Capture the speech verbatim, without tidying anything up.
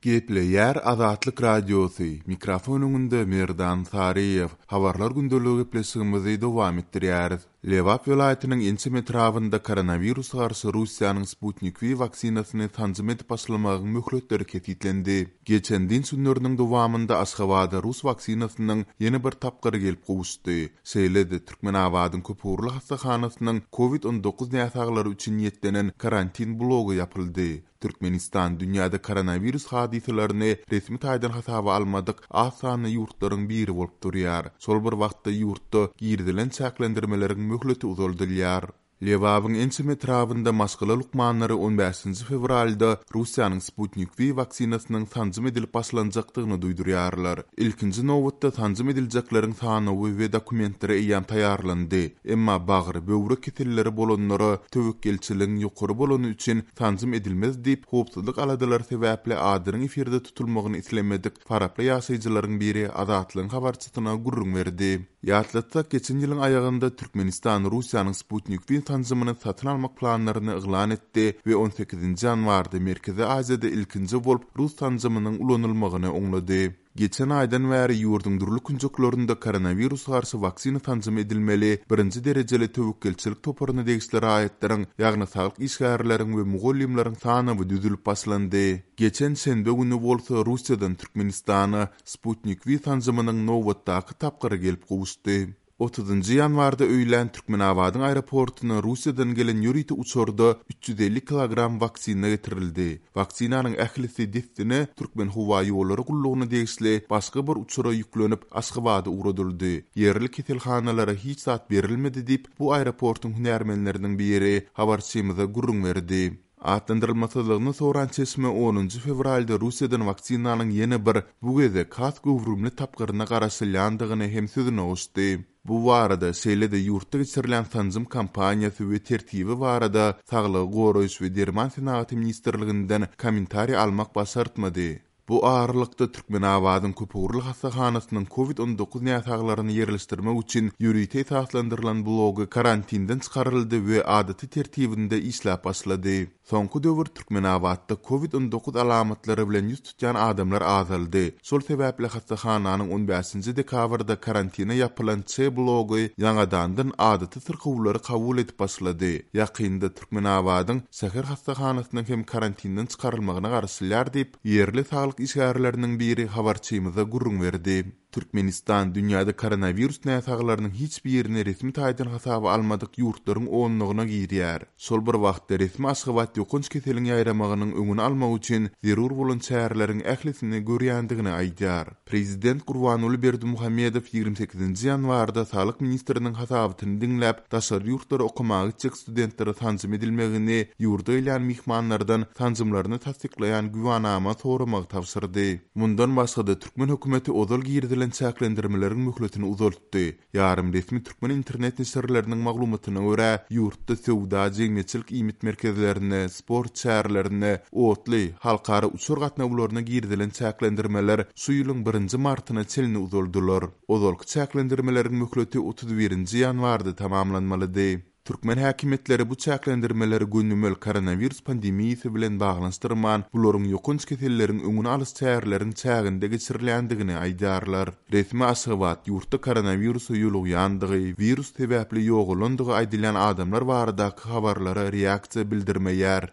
Gepleýär Azatlyk Radiosy, mikrofon öňünde Merdan Saryýew. Habarlar gündeligi gepleşigimizi dowam etdirýäris. Lebap welaýatynyň ençeme etrabynda koronawirusa garşy Russiýanyň Sputnik V waksinasyny sanjym edip başlamagyň möhletleri kesgitlendi. Geçen dynç günleriniň dowamynda Aşgabada rus waksinasynyň ýene bir tapgyry gelip gowuşdy. Şeýle-de Türkmenabadyň köpugurly hassahanasynyň Covid on dokuz näsaglary üçin niýetlenen karantin blogy ýapyldy. Türkmenistan dünýäde koronawirus hadysalaryny resmi taýdan hasaba almadyk az sanly ýurtlaryň biri bolup durýar. Şol bir wagtda ýurtda girizilen çäklendirmeleriň möhleti uzaldylýar. Lebabyň ençeme etrabynda maşgala lukmanlary on bäşinji fewralda Russiýanyň Sputnik V waksinasynyň sanjym edilip başlanjakdygyny duýdurýarlar. Ilkinji nobatda sanjym ediljekleriň sanawy we dokumentleri eýýäm taýýarlandy. Emma bagry, böwrek keselleri bolanlara töwekgelçiligiň ýokary bolany üçin sanjym edilmez diýip, howpsuzlyk aladalary sebäpli adynyň efirde tutulmagyny islemedik faraply ýaşaýjylaryň biri Azatlygyň habarçysyna gürrüň berdi. Ýatlatsak, geçen ýylyň aýagynda Türkmenistan Russiýanyň Sputnik V sanjymyny satyn almak planlaryny yglan etdi we on sekizinji ýanwarda Merkezi Aziýada ilkinji bolup rus sanjymynyň ulanylmagyny oňlady. Geçen aýdan bäri ýurduň dürli künjeklerinde koronawirus garşy waksina sanjymy edilmeli birinji derejeli töwekgelçilik toparyna degişli raýatlaryň, ýagny saglyk işgärleriň we mugallymlaryň sanawy düzülip başlandy. Geçen şenbe güni bolsa Russiýadan Türkmenistana Sputnik V sanjymynyň nobatdaky tapgyry gelip gowuşdy. Otuzynjy ýanwarda öýlän Türkmenabadyň aeroportuna Russiýadan gelen ýörite uçarda üç ýüz elli kilogram waksina getirildi. Waksinanyň ählisi dessine Türkmen howa ýollary gullugyna degişli başga bir uçara ýüklenip Aşgabada ugradyldy. Ýerli keselhanalara hiç zat berilmedi diýip, bu aeroportuň hünärmenleriniň biri habarçymyza gürrüň berdi. Atlandyrylmasyzlygyny soran çeşme onunjy fewralda Russiýadan waksinanyň ýene bir bu gezek has göwrümli tapgyryna garaşylýandygyny hem sözüne goşdy. Bu barada şeýle-de ýurtda geçirilen sanjym kampaniýasy we tertibi barada Saglygy goraýyş we derman senagaty ministrliginden kommentariý almak başartmady. Bu aralykda Türkmenabadyň köpugurly hassahanasynyň Covid on dokuz näsaglaryny ýerleşdirmek üçin ýörite esaslandyrylan blogy karantinden çykaryldy we adaty tertibinde işläp başlady. Soňky döwür Türkmenabatda Covid on dokuz alamatlary bilen ýüz tutýan adamlar azaldy. Şol sebäpli hassahananyň on bäşinji dekabrda karantina ýapylan Ç blogy ýaňadandan adaty syrkawlary kabul edip başlady. Ýakynda Türkmenabadyň şäher hassahanasynyň hem karantinden çykarylmagyna garaşylýar diýip, ýerli saglyk işgärleriniň biri habarçymyza gürrüň berdi. Türkmenistan dünýäde koronawirus näsaglarynyň hiç birini resmi taýdan hasaba almadyk ýurtlaryň onlugyna girýär. Şol bir wagtda resmi Aşgabat ýokanç keseliň ýaýramagynyň öňüni almak üçin zerur bolan çäreleriň ählisini görýändigini aýdýar. Prezident Gurbanguly Berdimuhamedow ýigrimi sekizinji ýanwarda Saglyk ministriniň hasabatyny diňläp, daşary ýurtlara okamaga gitjek studentlere sanjym edilmegini, ýurda gelýän myhmanlardan sanjymlaryny tassyklaýan güwanama soramagy tabşyrdy. Mundan başga-da türkmen hökümeti ozal girizilen çäklendirmeleriň möhletini uzaltdy. Ýarym resmi türkmen internet neşirleriniň maglumatyna görä, ýurtda söwda, jemgyýetçilik iýmit merkezlerine, sport çärelerine, otly, halkara uçar gatnawlaryna girizilen çäklendirmeler şu ýylyň birinji martyna çenli uzaldylar. Ozalky çäklendirmeleriň möhleti otuz birinji ýanwarda tamamlanmalydy. Türkmen häkimiýetleri bu çäklendirmeleri gönümel koronawirus pandemiýasy bilen baglanyşdyrman, bularyň ýokanç keselleriň öňüni alyş çäreleriň çäginde geçirilýändigini aýdýarlar. Resmi Aşgabat ýurtda koronawirusa ýolugýandygy, wirus sebäpli ýogalandygy aýdylýan adamlar baradaky habarlara reaksiýa bildirmeýär.